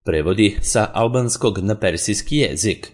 Prevodi sa albanskog na persijski jezik.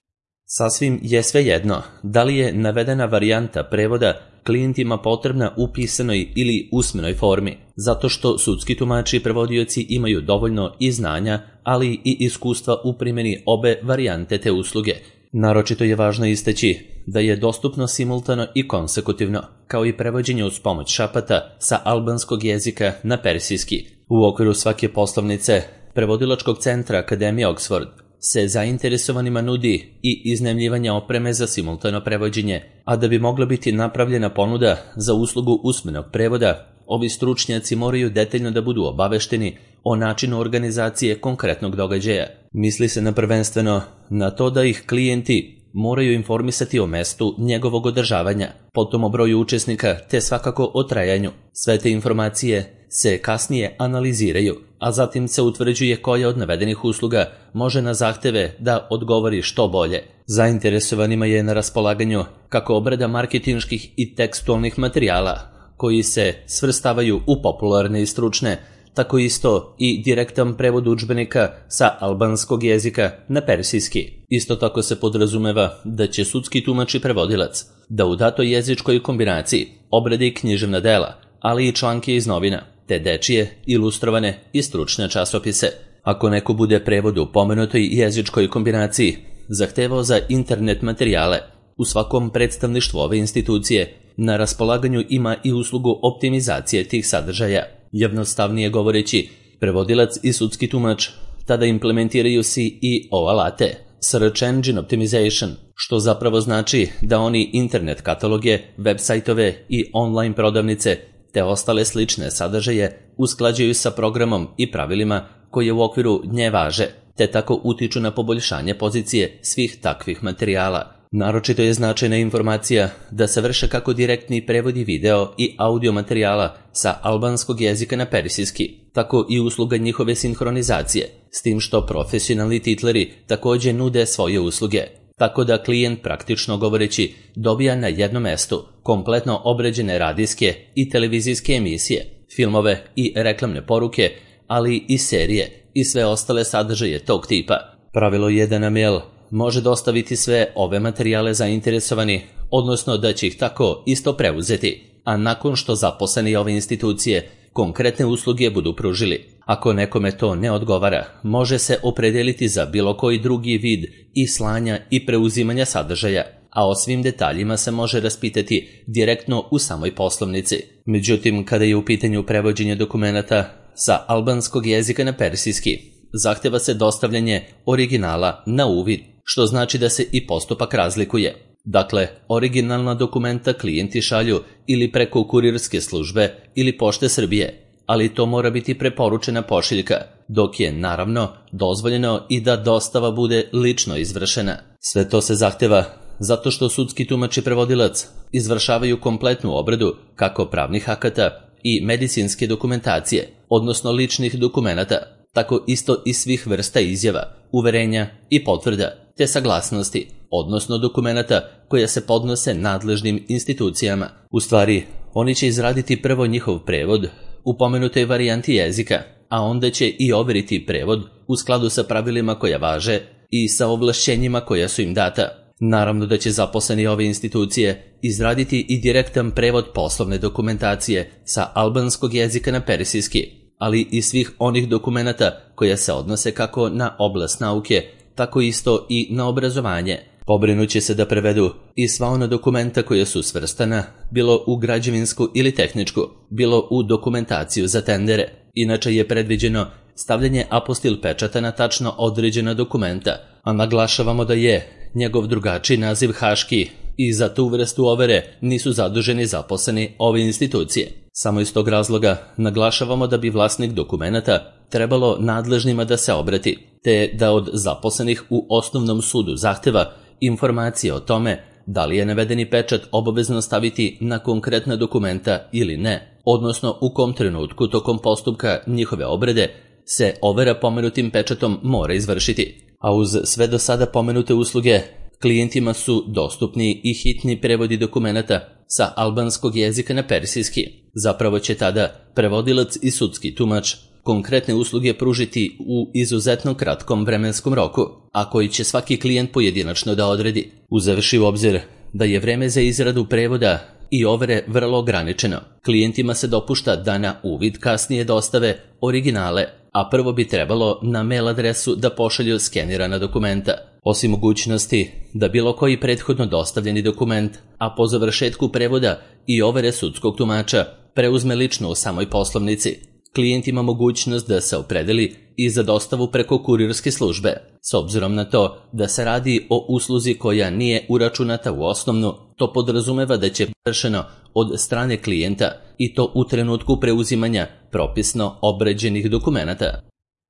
Sasvim je svejedno da li je navedena varijanta prevoda klijentima potrebna u pisanoj ili usmenoj formi, zato što sudski tumači i prevodioci imaju dovoljno i znanja, ali i iskustva u primjeni obe varijante te usluge. Naročito je važno istaći da je dostupno simultano i konsekutivno, kao i prevođenje uz pomoć šapata sa albanskog jezika na persijski. U okviru svake poslovnice Prevodilačkog centra Akademije Oxford se zainteresovanima nudi i iznajmljivanje opreme za simultano prevođenje, a da bi mogla biti napravljena ponuda za uslugu usmenog prevoda, ovi stručnjaci moraju detaljno da budu obavešteni o načinu organizacije konkretnog događaja. Misli se prvenstveno na to da ih klijenti moraju informisati o mestu njegovog održavanja, potom o broju učesnika te svakako o trajanju. Sve te informacije se kasnije analiziraju, a zatim se utvrđuje koja od navedenih usluga može na zahteve da odgovori što bolje. Zainteresovanima je na raspolaganju kako obrada marketinških i tekstualnih materijala, koji se svrstavaju u popularne i stručne, tako isto i direktan prevod udžbenika sa albanskog jezika na persijski. Isto tako se podrazumeva da će sudski tumač i prevodilac da u datoj jezičkoj kombinaciji obradi književna dela, ali i članke iz novina, te dečije, ilustrovane i stručne časopise. Ako neko bude prevod u pomenutoj jezičkoj kombinaciji zahtevao za internet materijale, u svakom predstavništvu ove institucije na raspolaganju ima i uslugu optimizacije tih sadržaja. Jednostavnije govoreći, prevodilac i sudski tumač tada implementiraju SEO alate, Search Engine Optimization, što zapravo znači da oni internet kataloge, web sajtove i online prodavnice te ostale slične sadržaje usklađuju sa programom i pravilima koje u okviru nje važe, te tako utiču na poboljšanje pozicije svih takvih materijala. Naročito je značajna informacija da se vrše kako direktni prevodi video i audio materijala sa albanskog jezika na persijski, tako i usluga njihove sinhronizacije, s tim što profesionalni titleri također nude svoje usluge, tako da klijent praktično govoreći dobija na jednom mestu kompletno obrađene radijske i televizijske emisije, filmove i reklamne poruke, ali i serije i sve ostale sadržaje tog tipa. Pravilo je da na mail može dostaviti sve ove materijale zainteresovani, odnosno da će ih tako isto preuzeti, a nakon što zaposleni ove institucije konkretne usluge budu pružili. Ako nekome to ne odgovara, može se opredeliti za bilo koji drugi vid i slanja i preuzimanja sadržaja, a o svim detaljima se može raspitati direktno u samoj poslovnici. Međutim, kada je u pitanju prevođenje dokumenata sa albanskog jezika na persijski, zahteva se dostavljanje originala na uvid, što znači da se i postupak razlikuje. Dakle, originalna dokumenta klijenti šalju ili preko kurirske službe ili Pošte Srbije, ali to mora biti preporučena pošiljka, dok je naravno dozvoljeno i da dostava bude lično izvršena. Sve to se zahteva zato što sudski tumač i prevodilac izvršavaju kompletnu obradu kako pravnih akata i medicinske dokumentacije, odnosno ličnih dokumenata, tako isto i svih vrsta izjava, uverenja i potvrda, te saglasnosti, odnosno dokumenata koje se podnose nadležnim institucijama. U stvari, oni će izraditi prvo njihov prevod u pomenutoj varijanti jezika, a onda će i overiti prevod u skladu sa pravilima koja važe i sa ovlašćenjima koja su im data. Naravno da će zaposleni ove institucije izraditi i direktan prevod poslovne dokumentacije sa albanskog jezika na persijski, ali i svih onih dokumenata koja se odnose kako na oblast nauke, tako isto i na obrazovanje. Pobrinuće se da prevedu i sva ona dokumenta koja su svrstana, bilo u građevinsku ili tehničku, bilo u dokumentaciju za tendere. Inače je predviđeno stavljanje apostil pečata na tačno određena dokumenta, a naglašavamo da je njegov drugačiji naziv haški i za tu vrstu overe nisu zaduženi zaposleni ove institucije. Samo iz tog razloga naglašavamo da bi vlasnik dokumenata trebalo nadležnima da se obrati, te da od zaposlenih u osnovnom sudu zahteva informacije o tome da li je navedeni pečat obavezno staviti na konkretna dokumenta ili ne, odnosno u kom trenutku tokom postupka njihove obrade se overa pomenutim pečatom mora izvršiti. A uz sve do sada pomenute usluge, klijentima su dostupni i hitni prevodi dokumenata sa albanskog jezika na persijski. Zapravo će tada prevodilac i sudski tumač konkretne usluge pružiti u izuzetno kratkom vremenskom roku, a koji će svaki klijent pojedinačno da odredi, uzevši u obzir da je vreme za izradu prevoda i overe vrlo ograničeno. Klijentima se dopušta da na uvid kasnije dostave originale, a prvo bi trebalo na mail adresu da pošalju skenirana dokumenta. Osim mogućnosti da bilo koji prethodno dostavljeni dokument, a po završetku prevoda i overe sudskog tumača, preuzme lično u samoj poslovnici, klijent ima mogućnost da se opredeli i za dostavu preko kurirske službe, s obzirom na to da se radi o usluzi koja nije uračunata u osnovnu. To podrazumeva da će vršeno od strane klijenta i to u trenutku preuzimanja propisno obređenih dokumenata.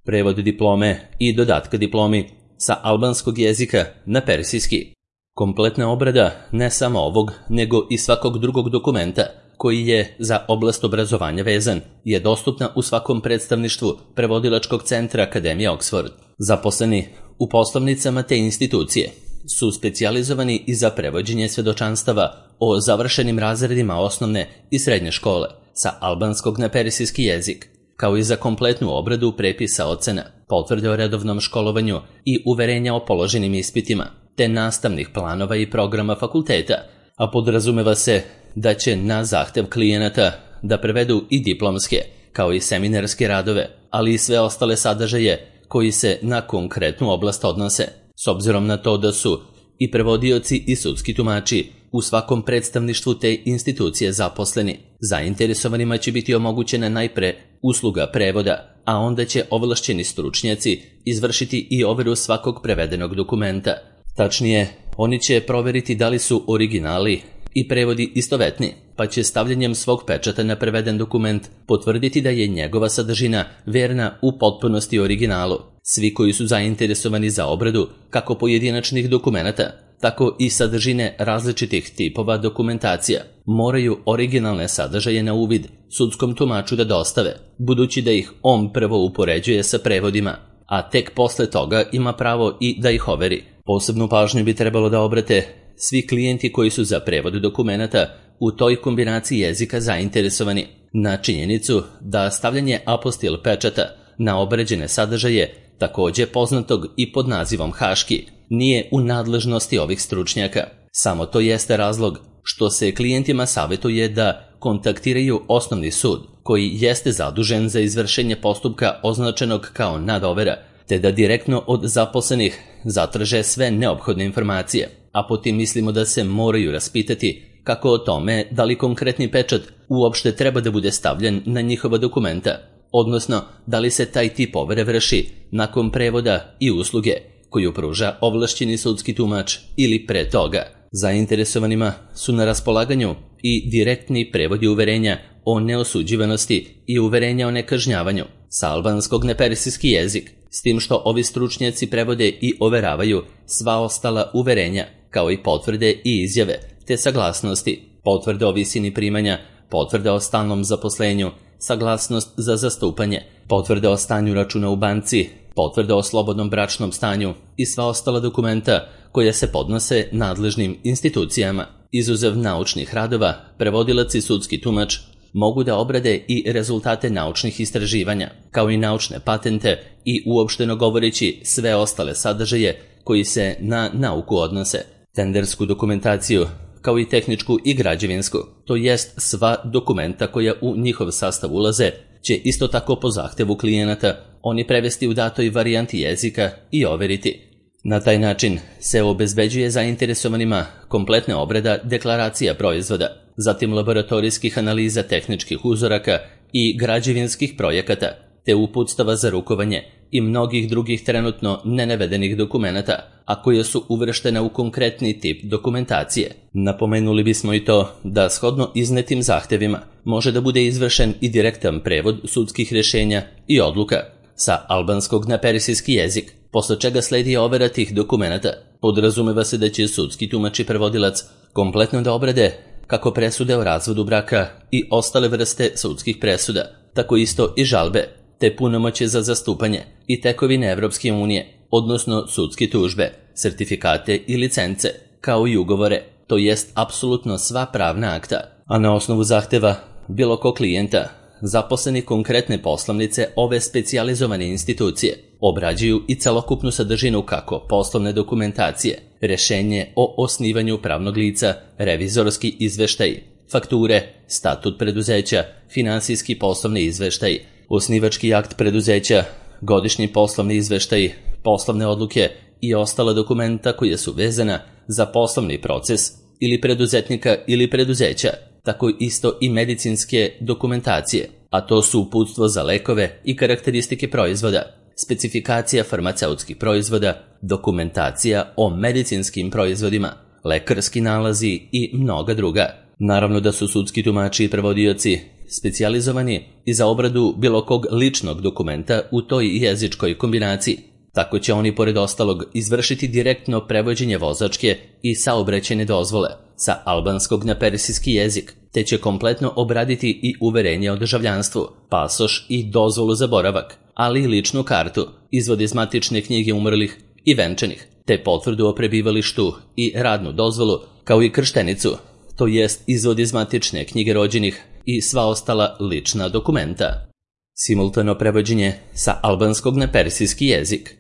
Prevod diplome i dodatka diplomi sa albanskog jezika na persijski. Kompletna obrada ne samo ovog, nego i svakog drugog dokumenta koji je za oblast obrazovanja vezan, je dostupna u svakom predstavništvu prevodilačkog centra Akademije Oxford. Zaposleni u poslovnicama te institucije su specijalizovani i za prevođenje svedočanstava o završenim razredima osnovne i srednje škole sa albanskog na persijski jezik, kao i za kompletnu obradu prepisa ocena, potvrde o redovnom školovanju i uverenja o položenim ispitima, te nastavnih planova i programa fakulteta, a podrazumeva se da će na zahtev klijenata da prevedu i diplomske, kao i seminarske radove, ali i sve ostale sadržaje koji se na konkretnu oblast odnose, s obzirom na to da su i prevodioci i sudski tumači u svakom predstavništvu te institucije zaposleni. Zainteresovanima će biti omogućena najpre usluga prevoda, a onda će ovlašćeni stručnjaci izvršiti i overu svakog prevedenog dokumenta. Tačnije, oni će proveriti da li su originali i prevodi istovetni, pa će stavljanjem svog pečata na preveden dokument potvrditi da je njegova sadržina verna u potpunosti originalu. Svi koji su zainteresovani za obradu kako pojedinačnih dokumenata, tako i sadržine različitih tipova dokumentacija, moraju originalne sadržaje na uvid sudskom tumaču da dostave, budući da ih on prvo upoređuje sa prevodima, a tek posle toga ima pravo i da ih overi. Posebnu pažnju bi trebalo da obrate svi klijenti koji su za prevod dokumenata u toj kombinaciji jezika zainteresovani na činjenicu da stavljanje apostil pečata na obređene sadržaje, takođe poznatog i pod nazivom haški, nije u nadležnosti ovih stručnjaka. Samo to jeste razlog što se klijentima savjetuje da kontaktiraju osnovni sud, koji jeste zadužen za izvršenje postupka označenog kao nadovera, te da direktno od zaposlenih zatraže sve neophodne informacije, a potim mislimo da se moraju raspitati kako o tome da li konkretni pečat uopšte treba da bude stavljen na njihova dokumenta, odnosno da li se taj tip overe vrši nakon prevoda i usluge koju pruža ovlašćeni sudski tumač ili pre toga. Zainteresovanima su na raspolaganju i direktni prevodi uverenja o neosuđivanosti i uverenja o nekažnjavanju sa albanskog na persijski jezik, s tim što ovi stručnjaci prevode i overavaju sva ostala uverenja, kao i potvrde i izjave, te saglasnosti, potvrde o visini primanja, potvrde o stalnom zaposlenju, saglasnost za zastupanje, potvrde o stanju računa u banci, potvrde o slobodnom bračnom stanju i sva ostala dokumenta koja se podnose nadležnim institucijama. Izuzev naučnih radova, prevodilac i sudski tumač mogu da obrade i rezultate naučnih istraživanja, kao i naučne patente i uopšteno govoreći sve ostale sadržaje koji se na nauku odnose, tendersku dokumentaciju, kao i tehničku i građevinsku, to jest sva dokumenta koja u njihov sastav ulaze, će isto tako po zahtevu klijenata oni prevesti u datoj varijanti jezika i overiti. Na taj način se obezbeđuje zainteresovanima kompletna obrada deklaracija proizvoda, zatim laboratorijskih analiza tehničkih uzoraka i građevinskih projekata, te uputstava za rukovanje i mnogih drugih trenutno nenavedenih dokumenata, a koje su uvrštene u konkretni tip dokumentacije. Napomenuli bismo i to da shodno iznetim zahtevima može da bude izvršen i direktan prevod sudskih rješenja i odluka sa albanskog na persijski jezik, posle čega sledi overa tih dokumenata. Podrazumeva se da će sudski tumač i prevodilac kompletno da obrade kako presude o razvodu braka i ostale vrste sudskih presuda, tako isto i žalbe, te punomoćje za zastupanje i tekovine Evropske unije, odnosno sudske tužbe, sertifikate i licence, kao i ugovore, to jest apsolutno sva pravna akta. A na osnovu zahteva bilo ko klijenta, zaposleni konkretne poslovnice ove specijalizovane institucije obrađuju i celokupnu sadržinu kako poslovne dokumentacije, rješenje o osnivanju pravnog lica, revizorski izveštaj, fakture, statut preduzeća, finansijski poslovni izveštaj, osnivački akt preduzeća, godišnji poslovni izveštaj, poslovne odluke i ostala dokumenta koja su vezana za poslovni proces ili preduzetnika ili preduzeća, tako isto i medicinske dokumentacije, a to su uputstvo za lekove i karakteristike proizvoda, specifikacija farmaceutskih proizvoda, dokumentacija o medicinskim proizvodima, lekarski nalazi i mnoga druga. Naravno da su sudski tumači i prevodioci specijalizovani i za obradu bilo kog ličnog dokumenta u toj jezičkoj kombinaciji. Tako će oni pored ostalog izvršiti direktno prevođenje vozačke i saobraćajne dozvole sa albanskog na persijski jezik, te će kompletno obraditi i uverenje o državljanstvu, pasoš i dozvolu za boravak, ali i ličnu kartu, izvod iz matične knjige umrlih i venčanih, te potvrdu o prebivalištu i radnu dozvolu, kao i krštenicu, to jest izvod iz matične knjige rođenih i sva ostala lična dokumenta. Simultano prevođenje sa albanskog na persijski jezik.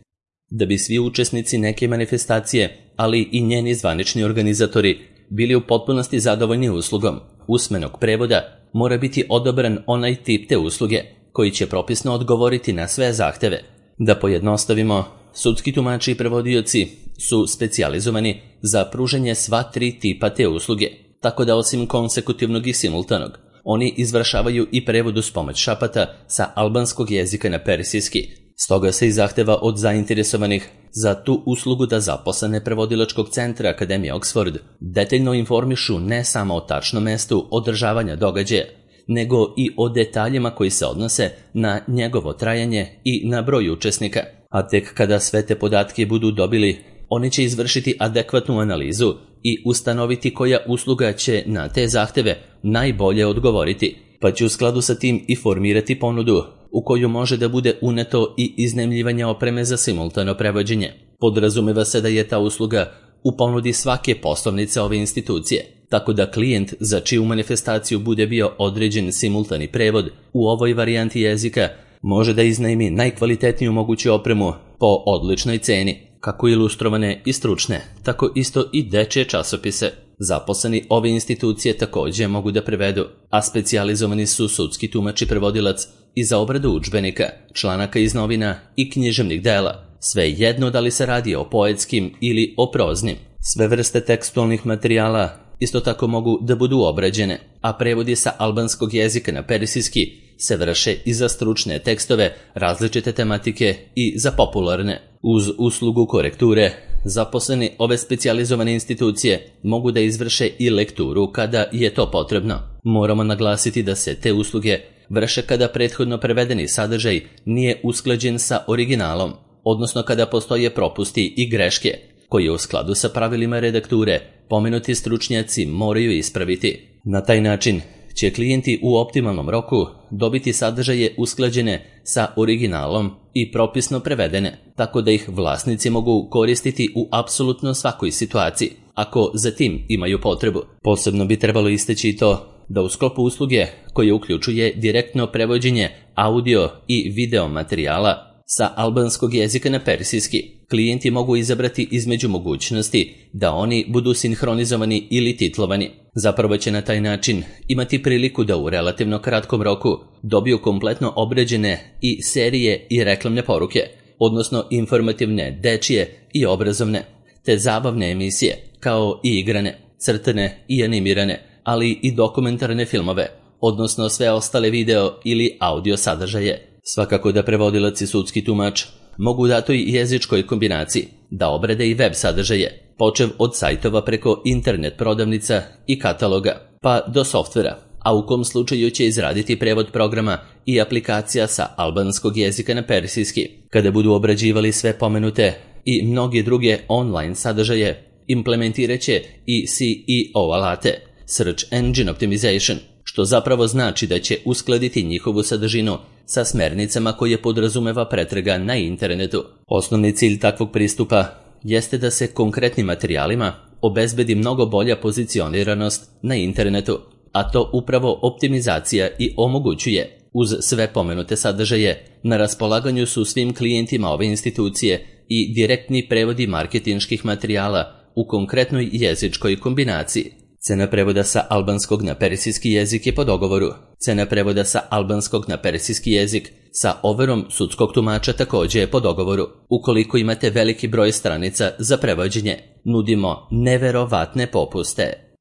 Da bi svi učesnici neke manifestacije, ali i njeni zvanični organizatori, bili u potpunosti zadovoljni uslugom usmenog prevoda, mora biti odabran onaj tip te usluge koji će propisno odgovoriti na sve zahteve. Da pojednostavimo, sudski tumači i prevodioci su specijalizovani za pružanje sva tri tipa te usluge, tako da osim konsekutivnog i simultanog, oni izvršavaju i prevod uz pomoć šapata sa albanskog jezika na persijski. Stoga se i zahteva od zainteresovanih za tu uslugu da zaposlene prevodilačkog centra Akademije Oxford detaljno informišu ne samo o tačnom mestu održavanja događaja, nego i o detaljima koji se odnose na njegovo trajanje i na broj učesnika. A tek kada sve te podatke budu dobili, oni će izvršiti adekvatnu analizu i ustanoviti koja usluga će na te zahteve najbolje odgovoriti, pa će u skladu sa tim i formirati ponudu u koju može da bude uneto i iznajmljivanje opreme za simultano prevođenje. Podrazumeva se da je ta usluga u ponudi svake poslovnice ove institucije, tako da klijent za čiju manifestaciju bude bio određen simultani prevod u ovoj varijanti jezika može da iznajmi najkvalitetniju moguću opremu po odličnoj ceni, kako ilustrovane i stručne, tako isto i dečje časopise. Zaposleni ove institucije također mogu da prevedu, a specijalizovani su sudski tumač i prevodilac i za obradu udžbenika, članaka iz novina i književnih dela, sve jedno da li se radi o poetskim ili o proznim. Sve vrste tekstualnih materijala isto tako mogu da budu obrađene, a prevodi sa albanskog jezika na persijski se vrše i za stručne tekstove, različite tematike i za popularne. Uz uslugu korekture, zaposleni ove specijalizovane institucije mogu da izvrše i lekturu kada je to potrebno. Moramo naglasiti da se te usluge vrše kada prethodno prevedeni sadržaj nije usklađen sa originalom, odnosno kada postoje propusti i greške, koje u skladu sa pravilima redakture pomenuti stručnjaci moraju ispraviti. Na taj način će klijenti u optimalnom roku dobiti sadržaje usklađene sa originalom i propisno prevedene, tako da ih vlasnici mogu koristiti u apsolutno svakoj situaciji, ako za tim imaju potrebu. Posebno bi trebalo istaći to da u sklopu usluge koje uključuje direktno prevođenje audio i video materijala sa albanskog jezika na persijski, klijenti mogu izabrati između mogućnosti da oni budu sinhronizovani ili titlovani. Zapravo će na taj način imati priliku da u relativno kratkom roku dobiju kompletno obrađene i serije i reklamne poruke, odnosno informativne, dečije i obrazovne, te zabavne emisije, kao i igrane, crtane i animirane, ali i dokumentarne filmove, odnosno sve ostale video ili audio sadržaje. Svakako da prevodilac i sudski tumač mogu u datoj jezičkoj kombinaciji da obrade i web sadržaje, počev od sajtova preko internet prodavnica i kataloga, pa do softvera, a u kom slučaju će izraditi prevod programa i aplikacija sa albanskog jezika na persijski. Kada budu obrađivali sve pomenute i mnoge druge online sadržaje, implementirat će i SEO alate, Search Engine Optimization, što zapravo znači da će uskladiti njihovu sadržinu sa smernicama koje podrazumeva pretraga na internetu. Osnovni cilj takvog pristupa jeste da se konkretnim materijalima obezbedi mnogo bolja pozicioniranost na internetu, a to upravo optimizacija i omogućuje. Uz sve pomenute sadržaje, na raspolaganju su svim klijentima ove institucije i direktni prevodi marketinških materijala u konkretnoj jezičkoj kombinaciji. Cena prevoda sa albanskog na persijski jezik je po dogovoru. Cena prevoda sa albanskog na persijski jezik sa overom sudskog tumača također je po dogovoru. Ukoliko imate veliki broj stranica za prevođenje, nudimo neverovatne popuste.